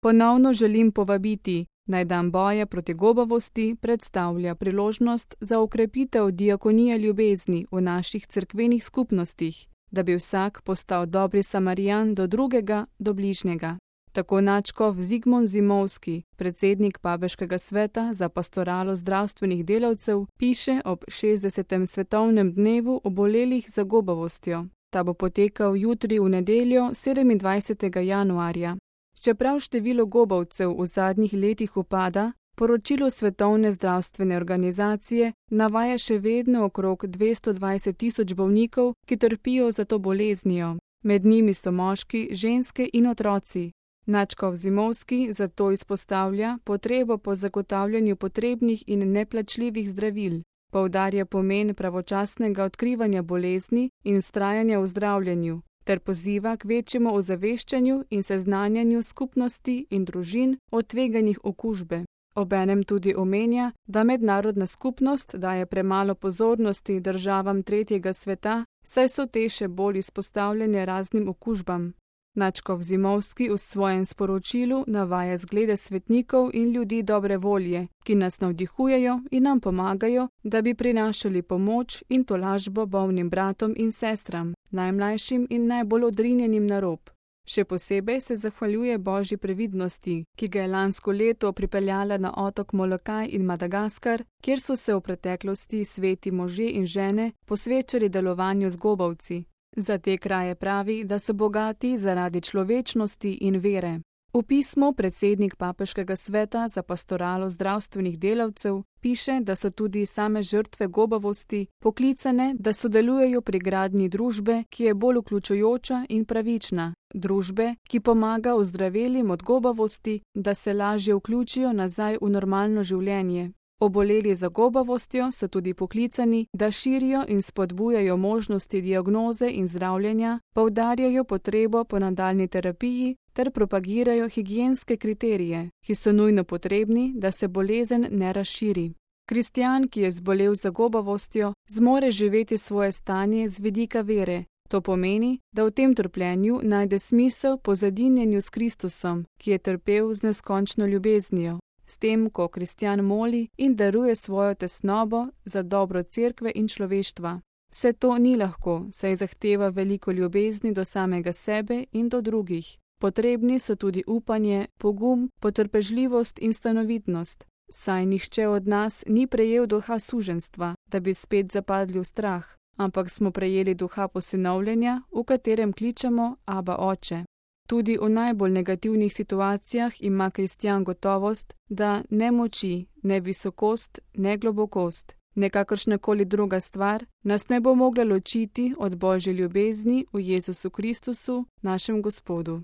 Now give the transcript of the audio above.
Ponovno želim povabiti, naj dan boja proti gobavosti predstavlja priložnost za okrepitev diakonije ljubezni v naših cerkvenih skupnostih, da bi vsak postal dobri Samarijan do drugega, do bližnjega. Tako nadškof Zigmund Zimovski, predsednik Papeškega sveta za pastoralo zdravstvenih delavcev, piše ob 60. svetovnem dnevu obolelih za gobavostjo. Ta bo potekal jutri v nedeljo 27. januarja. Čeprav število gobavcev v zadnjih letih upada, poročilo Svetovne zdravstvene organizacije navaja še vedno okrog 220.000 bolnikov, ki trpijo za to boleznijo. Med njimi so moški, ženske in otroci. Nadškof Zimovski zato izpostavlja potrebo po zagotavljanju potrebnih in neplačljivih zdravil, poudarja pomen pravočasnega odkrivanja bolezni in vztrajanja v zdravljenju, ter poziva k večjemu ozaveščanju in seznanjanju skupnosti in družin o tveganjih okužbe. Obenem tudi omenja, da mednarodna skupnost daje premalo pozornosti državam tretjega sveta, saj so te še bolj izpostavljene raznim okužbam. Nadškof Zimovski v svojem sporočilu navaja zglede svetnikov in ljudi dobre volje, ki nas navdihujejo in nam pomagajo, da bi prinašali pomoč in tolažbo bolnim bratom in sestram, najmlajšim in najbolj odrinjenim na rob. Še posebej se zahvaljuje Božji previdnosti, ki ga je lansko leto pripeljala na otok Molokaj in Madagaskar, kjer so se v preteklosti sveti možje in žene posvečali delovanju z gobavci. Za te kraje pravi, da so bogati zaradi človečnosti in vere. V pismu predsednik Papeškega sveta za pastoralo zdravstvenih delavcev piše, da so tudi same žrtve gobavosti poklicane, da sodelujejo pri gradnji družbe, ki je bolj vključujoča in pravična, družbe, ki pomaga ozdravelim od gobavosti, da se lažje vključijo nazaj v normalno življenje. Oboleli za gobavostjo so tudi poklicani, da širijo in spodbujajo možnosti diagnoze in zdravljenja, poudarjajo potrebo po nadaljnji terapiji ter propagirajo higienske kriterije, ki so nujno potrebni, da se bolezen ne razširi. Kristjan, ki je zbolel za gobavostjo, zmore živeti svoje stanje z vidika vere. To pomeni, da v tem trpljenju najde smisel po zadinjenju s Kristusom, ki je trpel z neskončno ljubeznijo. S tem, ko kristjan moli in daruje svojo tesnobo za dobro cerkve in človeštva. Vse to ni lahko, saj zahteva veliko ljubezni do samega sebe in do drugih. Potrebni so tudi upanje, pogum, potrpežljivost in stanovitnost, saj nihče od nas ni prejel duha suženjstva, da bi spet zapadli v strah, ampak smo prejeli duha posinovljenja, v katerem kličemo Aba Oče. Tudi v najbolj negativnih situacijah ima kristjan gotovost, da ne moči, ne visokost, ne globokost, ne kakršnakoli druga stvar nas ne bo mogla ločiti od Božje ljubezni v Jezusu Kristusu, našem Gospodu.